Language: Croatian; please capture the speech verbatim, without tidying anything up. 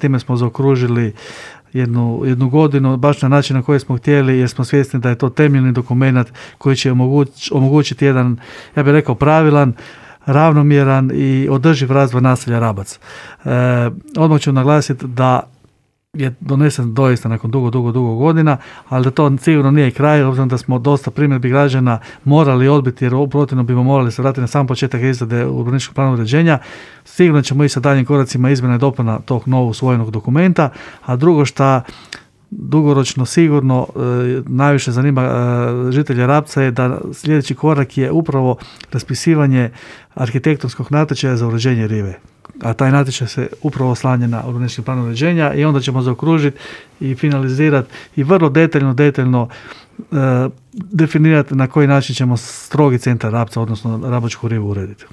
time smo zaokružili jednu, jednu godinu, baš na način na koji smo htjeli, jer smo svjesni da je to temeljni dokument koji će omoguć, omogućiti jedan, ja bih rekao, pravilan, ravnomjeran i održiv razvoj naselja Rabac. E, odmah ću naglasiti da je donesen doista nakon dugo, dugo, dugo godina, ali da to sigurno nije kraj, obzirom da smo dosta primjedbi građana morali odbiti, jer protivno bismo morali se vratiti na sam početak izrade urbanističkog plana uređenja. Sigurno ćemo i sa daljnjim koracima izmjena i dopuna tog novog usvojenog dokumenta, a drugo šta dugoročno sigurno e, najviše zanima e, žitelje Rabca je da sljedeći korak je upravo raspisivanje arhitektonskog natječaja za uređenje rive. A taj natječaj se upravo oslanja na urbanistički plan uređenja i onda ćemo zaokružiti i finalizirati i vrlo detaljno, detaljno e, definirati na koji način ćemo strogi centar Rabca, odnosno Rabačku rivu urediti.